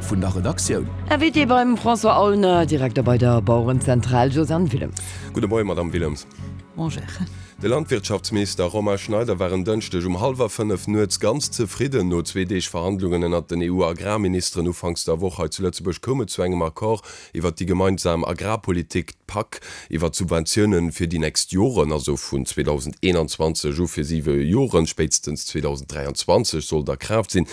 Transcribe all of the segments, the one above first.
vun der Redaktioun. Invité beim François Aulner, Direkter bei der Bauerenzentral, Josiane Willems. Gudde Moien, Madamm Willems. Bonjour. De Landwirtschaftsminister Romain Schneider war en Dënschdeg um hallwer 5 nuets ganz zefridden. No zwee Deeg Verhandlungen ënnert den EU-Agrarministeren ufanks der Woch hei zu Lëtzebuerg koum et zu engem Accord iwwert déi gemeinsam Agrarpolitik, d'PAK, iwwert d'Subventiounen fir déi nächst Joren, also vun 2021 u fir siwe Joren, spéitstens 2023 soll et a Kraaft sinn.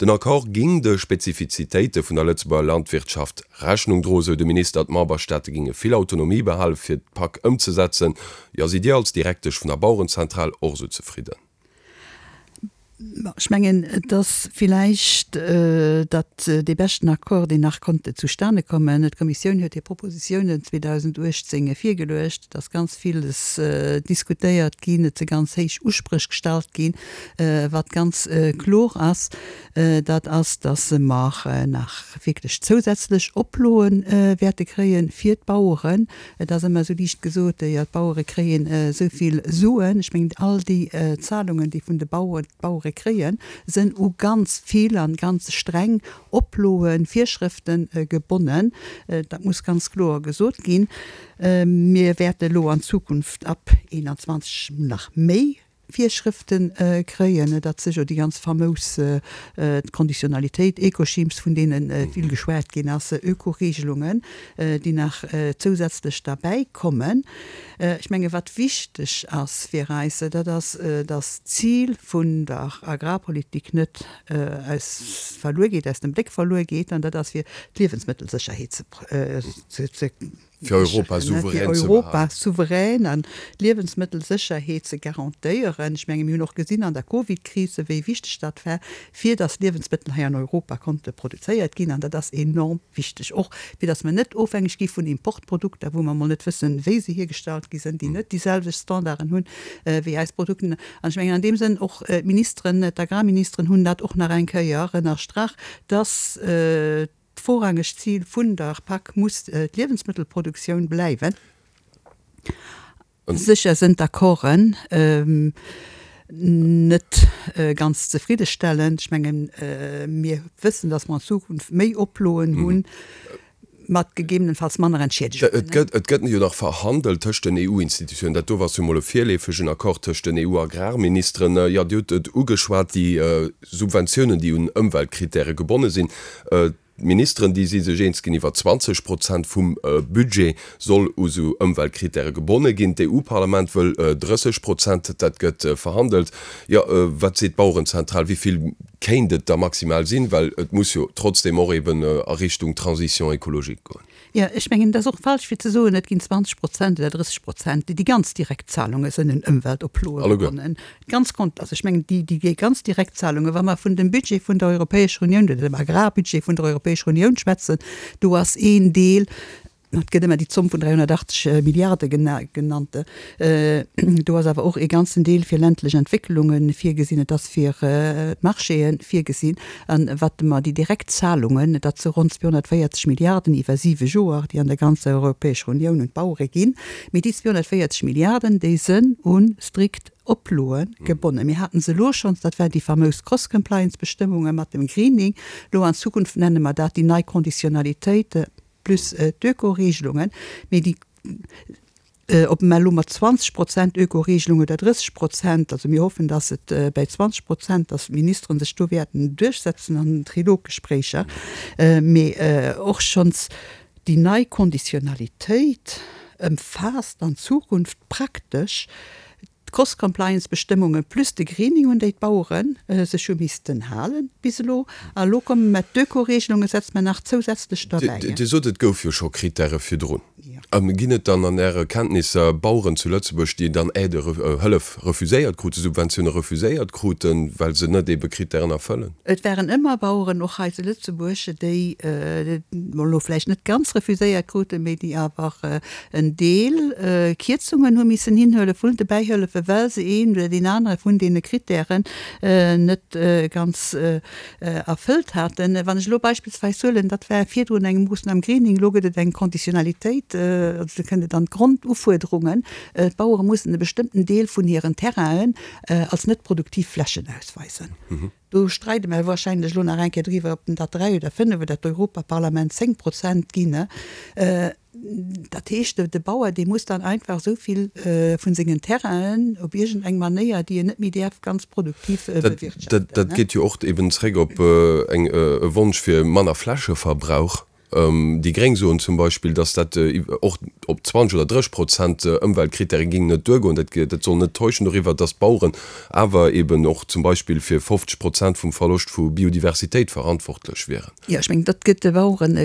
Den Accord géing de Spezifizitéite vun der Lëtzebuerger Landwirtschaft Rechnung droen, sou de Minister. D'Memberstaate géinge vill Autonomie behale fir d'PAK ëmzesetzen. Jo, sidd Dir als Direktesch vun der Bauerenzentral och esou zefridden? Ech mengen, et ass villäicht dat dee beschten Accord, deen nach konnt zustane kommen. D'Kommissioun huet hir Propositiounen 2018 virgeluecht. Et ass ganz villes diskutéiert ginn, et si ganz héich Uspréch gestallt ginn. Wat ganz kloer ass, dat ass, dass mer nach wierklech zousätzlech Oploe wäerte kréie fir d'Baueren. Et ass ëmmer esou liicht gesot, jo d'Bauere kréien esou vill Suen. Ech mengen, all déi Zahlungen, déi vun de Baueren d'Bauere kréien, sënn u ganz vill an ganz streng Oploen, Virschrëften gebonnen. Dat muss ganz kloer gesot ginn. Mir wäerte elo an Zukunft ab 21 nach méi Virschrëfte kréien. Dat si jo déi ganz famous Conditionalitéit, Ecoschemes, vun deene vill geschwat ginn ass, Ökoregelungen, déi nach zousätzlech derbäi kommen. Ech menge wat wichteg ass fir eis, dat ass, datt d'Zil vun der Agrarpolitik net aus verluer geet, aus dem Bléck verluer geet, an dat ass fir d'Liewensmëttelsécherheet ze Fir Europa souverän ze behalen. Fir Europa souverän an d'Liewensmëttelsécherheet ze garantéieren. Ech menge mir hunn och gesinn an der Covid-Kris, wéi wichteg dat war, fir datt Liewensmëttel hei an Europa konnte produzéiert ginn. An dat ass enorm wichteg, och fir datt mer net ofhängeg gi vun Importprodukter, wou mer emol net wëssen, wéi se hiergestallt gi sinn, déi net déi selwecht Standarden hunn wéi eis Produkten. An ech mengen an deem Sënn och d'Ministeren, d'Agrarministeren hunn dat och nach eng Kéier ënnerstrach, datt, D'vorrangegt Zil vun der PAC muss d'Liewensmëttelproduktioun bleiwen. Sécher sënn d'Accorden net ganz zefriddestellend. Ech mengen, mir wëssen, datt mer an Zukunft méi Oploen hunn, mat gegebenenfalls manner Entschiedegungen. Et gëtt jo nach verhandelt tëscht den EU-Institutiounen. Dat do ass jo mol e virleefegen Accord tëscht den EU-Agrarministeren. Jo, Dir hutt et ugeschwat, déi Subventiounen, déi un Ëmweltkrittäre gebonne sinn. D'Ministeren, déi si sech eens ginn, iwwer 20 Prozent vum Budget soll u sou Ëmweltkrittäre gebonne ginn. D'EU-Parlament wëll 30 Prozent. Dat gëtt verhandelt. Jo, wat seet d'Bauerenzentral, wéi vill kéint et da maximal sinn? Well et muss jo trotzdeem och eben a Richtung Transition écologique goen. Jo, ech mengen, et ass och falsch fir ze soen, et ginn 20 Prozent oder 30 Prozent. Déi ganz Direktzahlunge sënn un Ëmweltoploe gebonnen. Ganz kont, also ech mengen, déi, déi ganz Direktzahlunge, wa mer vun dem Budget vun der Europäescher Unioun oder dem Agrarbudget vun der Europäescher Unioun schwätzen, do ass een Deel, et gëtt ëmmer déi Zomm vun 380 Milliarde genannt, do ass awer och ee ganzen Deel fir ländlech Entwécklunge virgesinn, et ass fir d'Marchéë virgesinn. An wat mer déi direkt Zahlungen, dat si ronn 240 Milliarden iwwer siwe Joer, déi an der ganzer Europäescher Unioun un d'Bauere ginn, mee déi 240 Milliarden, déi sënn u strikt Oploe gebonnen. Mir haten se elo schonns, dat war déi famous Cross-Compliance-Bestëmmunge mat dem Greening. Elo an Zukunft nenne mer dat déi nei Conditionnalitéite plus d'Ökoregelungen, mee déi, Ob mer elo mat 20 Prozent Ökoregelung oder 30 Prozent, also mir hoffen, dass et bäi 20 Prozent, dass d'Ministere sech do wäerten duerchsetzen an den Triloggespréicher, mee och schonns déi nei Konditionalitéit ëmfaasst an Zukunft praktesch D'Cross-Compliance-Bestëmmunge plus de Greening, un déi d'Bauere sech hu missten halen bis elo. A elo komme mer d'Ökoregelunge setze mer nach zousätzlech derbäi. Dir sot, et gouf jo scho Krittäre virdrun. Ginn et dann an Äre Kenntnisser Baueren zu Lëtzebuerg, déi dann Aidë, Hëllef refuséiert kruten, Subventioune refuséiert kruten, well se net eebe Krittären erfëllen? Et waren ëmmer Baueren, och hei zu Lëtzebuerg, déi elo vläicht net ganz refuséiert kruten, mee déi awer en Deel Kierzungen hu missen hinhuele vun de Bäihëllefe. goufen, well se een oder deen anere vun deene Krittären net ganz erfëllt haten. Wann ech elo beispillsweis huelen, dat war virdrun eng Moossnam Greening, elo gëtt et eng Conditionnalitéit, also do kënnt et an d'Grondufuerderungen, d'Bauere mussen e bestëmmten Deel vun hiren Terrainen als net produktiv Flächen ausweisen. Do streide mer wahrscheinlech elo nach eng Kéier driwwer, ob dat 3 oder 5 oder d'Europaparlament 10 Prozent ginn. Dat heescht, de Bauer, dee muss dann einfach esou vill vu sengen Terrainen op iergend eng Manéier, déi en net méi däerf, ganz produktiv bewirtschaften. Dat geet jo och eben zréck op e Wonsch fir manner Flächeverbrauch. Déi Gréng soen zum Beispill, datt dat och op 20 oder 30 Prozent Ëmweltkrittäre géing net duergoen. Dat soll net täuschen doriwwer, datt d'Baueren awer eben och zum Beispill fir 50 Prozent vum Verloscht vu Biodiversitéit verantwortlech wieren. Jo, ech mengen, dat gëtt de Baueren,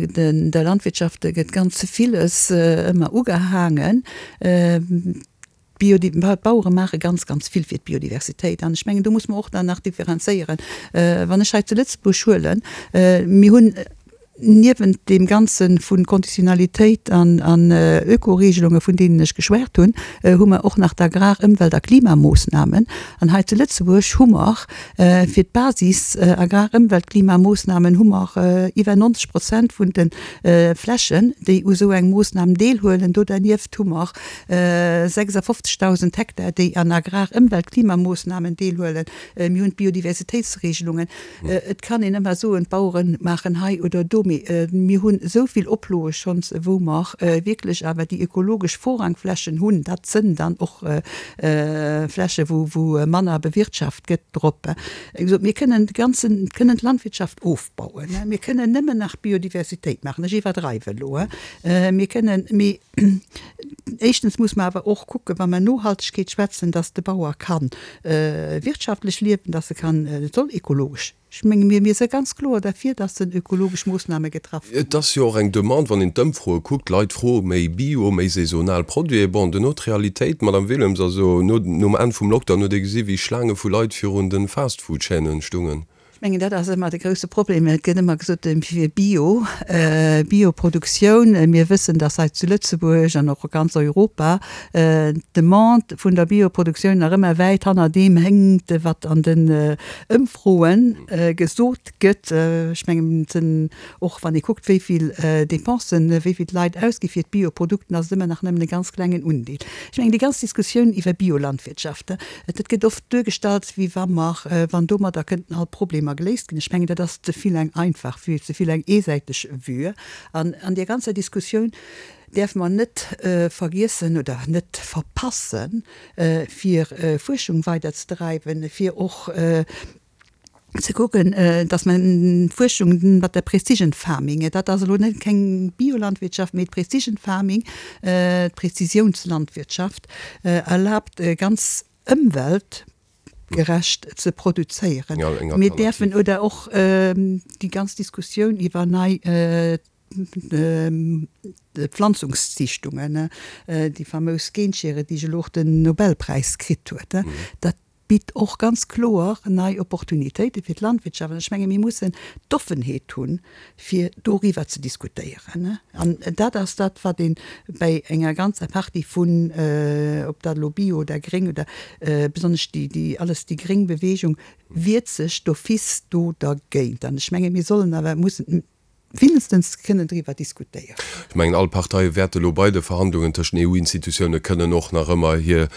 der Landwirtschaft gëtt ganz villes ëmmer ugehaangen. D'Bauere maache ganz, ganz vill fir d'Biodiversitéit. An ech mengen, do muss mer och dann nach differenzéieren. Wann ech hei zu Lëtzebuerg huelen, mir hunn niewent deem Ganze vu Konditionalitéit an Ökoregelunge vun deenen ech geschwat hunn, hu mer och nach d'Agrar-, Ëmwelt a Klimamoossnamen. An hei zu Lëtzebuerg hu mer fir d'Basis Agrar-, Ëmwelt-, Klimamoossnamen hu mer iwwer 90 Prozent vun de Flächen, déi u sou eng Moossnam deelhuelen. Do dernieft hu mer 56.000 Hektar, déi an Agrar-, Ëmwelt-, Klimamoossnamen deelhuelen. Mir hunn d'Biodiversitéitsregelungen. Et kann een ëmmer soen, d'Bauere maachen hei oder do, mee mir hunn esou vill Oploe schonns, wou mer wierklech awer déi ökologesch Vorrangflächen hunn. Dat sënn dann och Fläche wou manner bewirtschaft gëtt drop. Wéi gesot, mir kënnen de ganzen, kënnen d'Landwirtschaft ofbauen, mir kënnen nëmmen nach Biodiversitéit maachen. Ech iwwerdreiwe elo. Mir kënnen, mee Éischtens muss mer awer och kucken, wa mer Nohaltegkeet schwätzen, dass de Bauer ka wirtschaftlech liewen, dass e kann, et soll ökologesch, ech menge mir, mir si ganz kloer derfir, dass en ökologesch Moossname getraff ginn. Et ass jo och eng Demande, wann een d'Ëmfroe kuckt, d'Leit froe méi Bio, méi saisonal Produiten. Bon, duerno d'Realitéit, Madame Willems, also no, nom Enn vum Lockdown huet ee gesi wéi Schlaange vu Leit virun de Fastfood-Chaînen stungen. Ech mengen, dat ass ëmmer de grouse Problem. Et gëtt ëmmer gesot, fir Bio, Bioproduktioun. Mir wëssen, dass hei zu Lëtzebuerg an och a ganz Europa d'Demande vun der Bioproduktioun nach ëmmer wäit hanner deem hénkt, wat an den Ëmfroe gesot gëtt. Ech mengen, et sinn och, wann ee kuckt, wéi vill Dépensen, wéi vill d'Leit ausgi fir d'Bioprodukten, ass et ëmmer nach nëmmen e ganz klengen Undeel. Ech mengen, déi ganz Diskussioun iwwer Biolandwirtschaft, Dat gëtt oft duergestallt, wéi wa mer, wann domadder kënnten all Problemer geléist ginn. Ech mengen, dat ass ze vill eng einfach Vue, ze vill eng eesäiteg Vue. An an där ganzer Diskussioun däerfe mer net vergiessen oder net verpassen, fir Fuerschung weiderzedreiwen, fir och ze kucken, dass mer d'Fuerschung mat der Precision Farming, dat ass elo net keng Biolandwirtschaft, mee d'Precision Farming, d'Präzisiounslandwirtschaft erlaabt ganz ëmweltgerecht ze produzéieren. Mir däerfen, oder och déi ganz Diskussioun iwwer nei Pflanzungszichtungen, déi famous Genschere, déi elo och den Nobelpräis kritt huet, dat bitt och ganz kloer nei Opportunitéite fir d'Landwirtschaft. An ech menge mir mussen d'Offenheet hunn, fir doriwwer ze diskutéieren. An dat ass dat, wat ee bäi enger ganzer Partie vun, ob dat elo Bio oder Gréng oder besonnesch déi alles déi gréng Bewegung wiert sech d'office do dergéint. An ech menge mir sollen awer mussen Wéinstens kënnen driwwer diskutéieren. Ech mengen, all Parteie wäerte elo bei de Verhandlungen tëscht den EU-Institutioune kënnen och nach ëmmer hir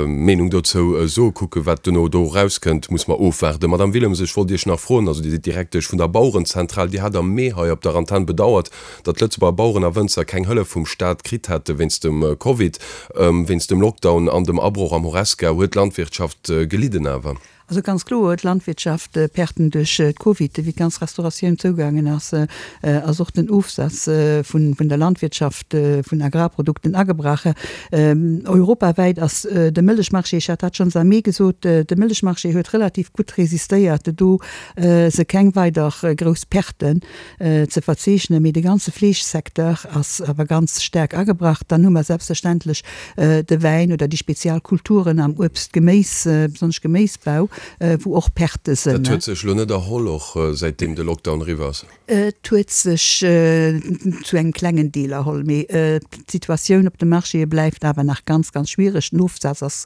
Meenung dozou soen. Kucken, wat duerno do erauskënnt, muss mer ofwaarden. Madamm Willems, ech wollt Iech nach froen, also Dir sidd Direktesch vun der Bauerenzentral, Dir hat am Mee hei op der Antenn bedauert, datt d'Lëtzebuerger Baueren a Wënzer keng Hëllef vum Staat kritt hätte wéinst dem Covid, wéinst dem Lockdown an dem Abroch am Horesca. Huet d'Landwirtschaft gelidden awer? Also ganz kloer huet d'Landwirtschaft Perten duerch d'Covid. Wéi d'ganz Restauratioun zougaangen ass, ass och den Ofsaz vun der Landwirtschaft vun Agrarprodukten agebrach. Europawäit ass de Mëllechmarché, ech hat dat schonns am Mee gesot, de Mëllechmarché huet relativ gutt resistéiert, do si keng weider grouss Perten ze verzeechnen, mee de ganze Fleeschsecteur ass awer ganz staark agebrach. Dann hu mer selbstverständlech de Wäin oder déi spezial Kulturen am Uebst-, Geméis, besonnesch Geméisbau. wou och Pertë sënn. Dat huet sech elo net erholl, och säitdeem de Lockdown eriwwer ass? Et huet sech zu engem klengen Deel erholl, mee d'Situatioun op de Marchéë bleift awer nach ganz, ganz schwiereg. Den Ofsaz ass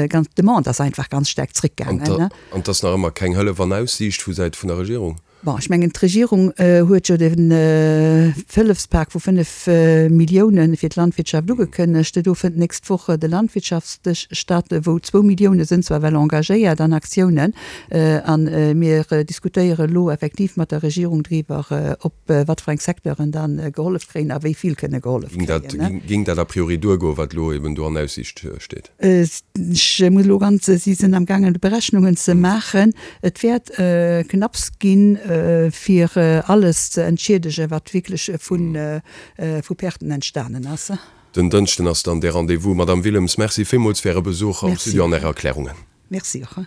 ganz, d'Demande ass einfach ganz staark zréckgaangen. An et ass nach ëmmer keng Hëllef an Aussiicht vu Säit vun der Regierung? Bon, ech mengen, d'Regierung huet jo den Hëllefspak vu 5 Millioune fir d'Landwirtschaft ugekënnegt. Do fënnt d'nächst Woch de Landwirtschaftsdësch statt, wou zwou Millioune sënn zwar well engagéiert an Aktiounen. A mir diskutéiere elo effektiv mat der Regierung driwwer, op wat fir eng Secteuren da gehollef kréien a wéi vill kënne gehollef kréien. Géing dat a priori duergoen, wat elo eben do an Aussiicht steet? Ech muss elo ganz, si sinn am gaangen Berechnungen ze maachen. Et wäert knapps ginn, fir alles ze entschiedegen, wat wierklech vu Perten entstanen ass. Den Dënschden ass dann dee Rendez-vous. Madamm Willems, Merci villmools fir Äre Besuch am Studio an Är Erklärungen. Merci och.